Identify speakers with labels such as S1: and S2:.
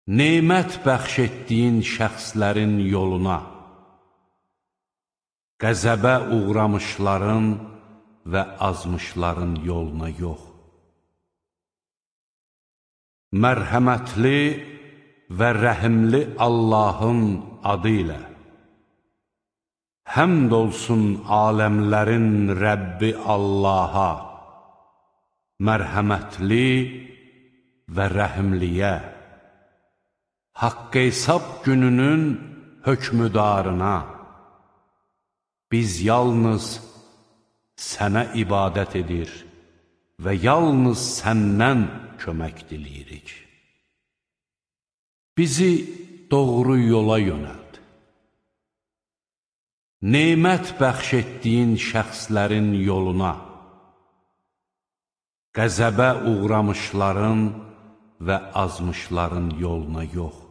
S1: nemət bəxş etdiyin şəxslərin yoluna, qəzəbə uğramışların və azmışların yoluna yox. Mərhəmətli və rəhimli Allahın adı ilə, həmd olsun aləmlərin Rəbbi Allaha, mərhəmətli və rəhimliyə, haqq hesab gününün hökmüdarına, biz yalnız sənə ibadət edir və yalnız səndən kömək diləyirik. Bizi doğru yola yönəld. Nemət bəxş etdiyin şəxslərin yoluna, qəzəbə uğramışların və azmışların yoluna yox.